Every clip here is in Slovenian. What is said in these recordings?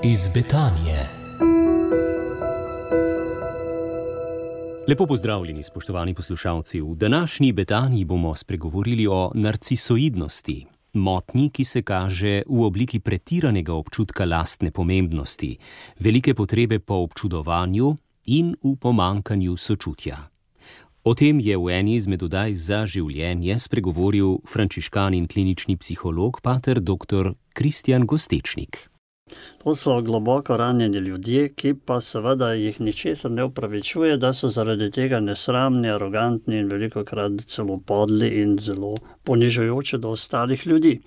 iz Betanije. Lepo pozdravljeni, spoštovani poslušalci. V današnji Betaniji bomo spregovorili o narcisoidnosti, motnji, ki se kaže v obliki pretiranega občutka lastne pomembnosti, velike potrebe po občudovanju in v pomanjkanju sočutja. O tem je v eni izmed oddaj Za življenje spregovoril frančiškan in klinični psiholog pater dr. Kristjan Gostečnik. To so globoko ranjeni ljudje, ki pa seveda jih ničesar ne opravičuje, da so zaradi tega nesramni, arogantni in velikokrat celo podli in zelo ponižujoči do ostalih ljudi.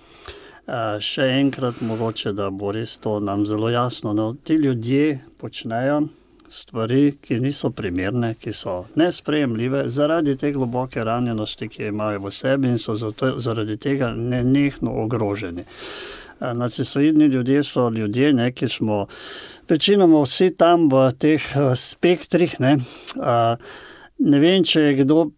Še enkrat mogoče, da bo res to nam zelo jasno. No, ti ljudje počnejo stvari, ki niso primerne, ki so nesprejemljive zaradi te globoke ranjenosti, ki jo imajo v sebi in so zaradi tega nenehno ogroženi. Narcisoidni ljudje so ljudje, ki smo večinoma vsi tam v teh spektrih. Ne vem, če je kdo,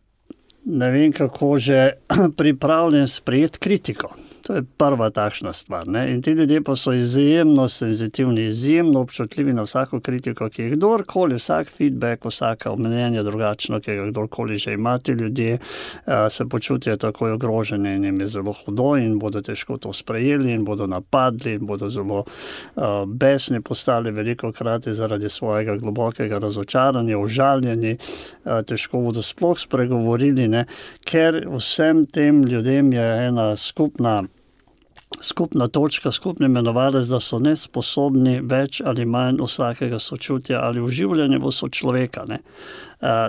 ne vem kako že, pripravljen sprejeti kritiko. To je prva takšna stvar. In ti ljudje pa so izjemno senzitivni, izjemno občutljivi na vsako kritiko, ki je kdorkoli, vsak feedback, vsaka mnenja drugačno, ki ga kdorkoli že ima. Ti ljudje se počutijo takoj ogroženi in jim je zelo hudo in bodo težko to sprejeli in bodo napadli in bodo zelo besni postali velikokrat zaradi svojega globokega razočaranja, užaljeni, težko bodo sploh spregovorili, ker vsem tem ljudem je ena skupna točka, skupni imenovalec, da so nesposobni več ali manj vsakega sočutja ali vživljanja v sočloveka.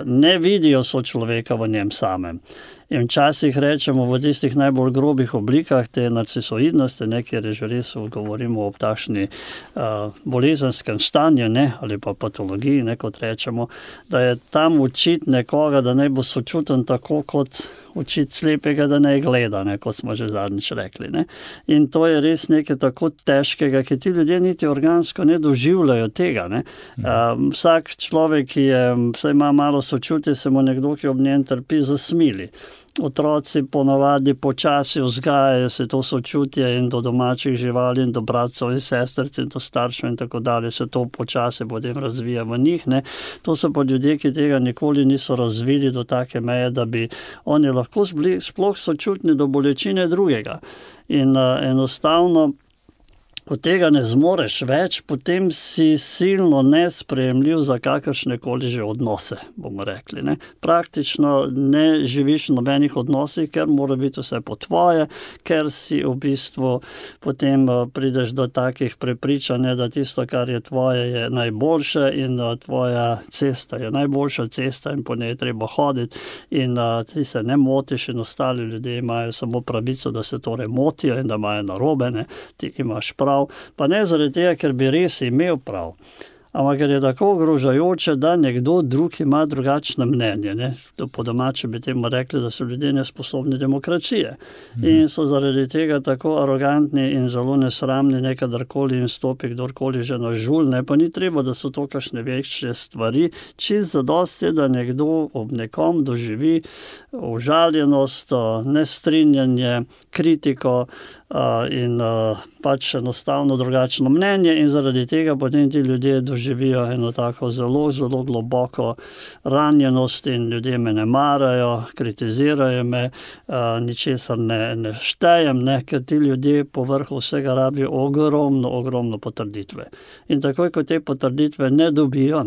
Ne vidijo sočloveka v njem samem. In včasih rečemo v tistih najbolj grobih oblikah te narcisoidnosti, kjer je že res govorimo o takšni bolezenskem stanju, ali pa patologiji, kot rečemo, da je tam učiti nekoga, da ne bo sočuten tako kot učiti slepega, da ne gleda, kot smo že zadnjič rekli. In to je res nekaj tako težkega, ki ti ljudje niti organsko ne doživljajo tega. Vsak človek, ki vsaj ima malo sočutje, se mu nekdo, ki ob njem trpi, zasmili. Otroci ponavadi počasi vzgajajo se to sočutje in do domačih živali in do bratcev in sestric in do staršev in tako dalje se to počasi potem razvija v njih. To so pa ljudje, ki tega nikoli niso razvili do take meje, da bi oni lahko sploh sočutni do bolečine drugega. In enostavno, ko tega ne zmoreš več, potem si silno nesprejemljiv za kakršnekoli že odnose, bomo rekli. Praktično ne živiš v nobenih odnosih, ker mora biti vse po tvoje, ker si v bistvu potem prideš do takih prepričanj, da tisto, kar je tvoje, je najboljše in tvoja cesta je najboljša cesta in po njej treba hoditi in ti se ne motiš in ostali ljudje imajo samo pravico, da se torej motijo in da imajo narobe, ti imaš prav. Pa ne zaradi tega, ker bi res imel prav, ampak ker je tako ogrožajoče, da nekdo drug ima drugačno mnenje. Po domače bi temu rekli, da so ljudje nesposobni demokracije. In so zaradi tega tako arogantni in zelo nesramni, kadarkoli jim stopi kdorkoli že na žulj. Pa ni treba, da so to kakšne večje stvari. Čisto zadosti je, da nekdo ob nekom doživi užaljenost, nestrinjanje, kritiko in pač enostavno drugačno mnenje in zaradi tega potem ti ljudje doživijo eno tako zelo, zelo globoko ranjenost in ljudje me ne marajo, kritizirajo me, ničesar ne štejem, ker ti ljudje po vrhu vsega rabijo ogromno potrditve. In takoj, ko te potrditve ne dobijo,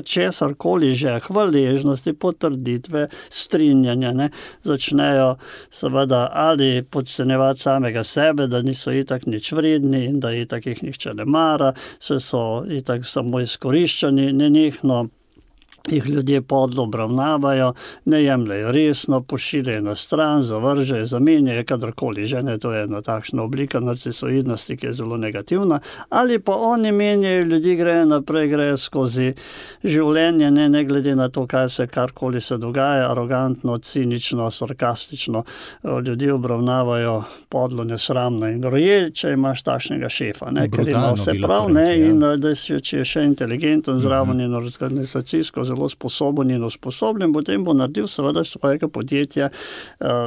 česarkoli že, hvaležnosti, potrditve, strinjanja, začnejo seveda ali podcenjevati samega sebe, da niso itak nič vredni in da itak jih nihče ne mara, so itak samo izkoriščani, nenehno jih ljudje podlo obravnavajo, ne jemljajo resno, pošiljajo na stran, zavržejo, zamenjajo, kadarkoli že, to je ena takšna oblika narcisoidnosti, ki je zelo negativna, ali pa oni menjajo, ljudi grejo naprej, grejo skozi življenje, ne glede na to, kaj se karkoli se dogaja, arogantno, cinično, sarkastično, ljudi obravnavajo podlo, nesramno in groje, če imaš takšnega šefa, ker ima vse prav, in da če je še inteligenten, zraven in organizacijsko zelo zelo sposoben in usposobljen, potem bo naredil seveda svojega podjetja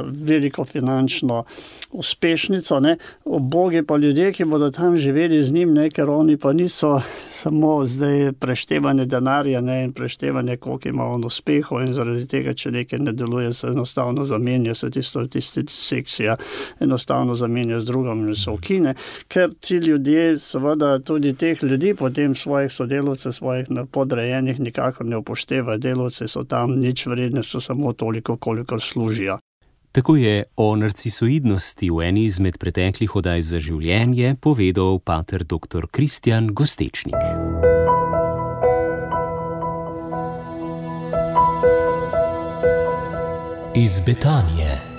veliko finančno uspešnico, ne. Ubogi pa ljudje, ki bodo tam živeli z njim, ne, ker oni pa niso samo zdaj preštevanje denarja, ne, in preštevanje, koliko ima on uspehov, in zaradi tega, če nekaj ne deluje, se enostavno zamenja, se tista sekcija enostavno zamenja z drugim in se ukine, ker ti ljudje, seveda tudi teh ljudi, potem svojih sodelavcev, svojih podrejenih nikakor ne upoštevajo, delavci so tam nič vredni, so samo toliko, kolikor služijo. Tako je o narcisoidnosti v eni izmed preteklih oddaj Za življenje povedal pater dr. Kristjan Gostečnik. Iz Betanije.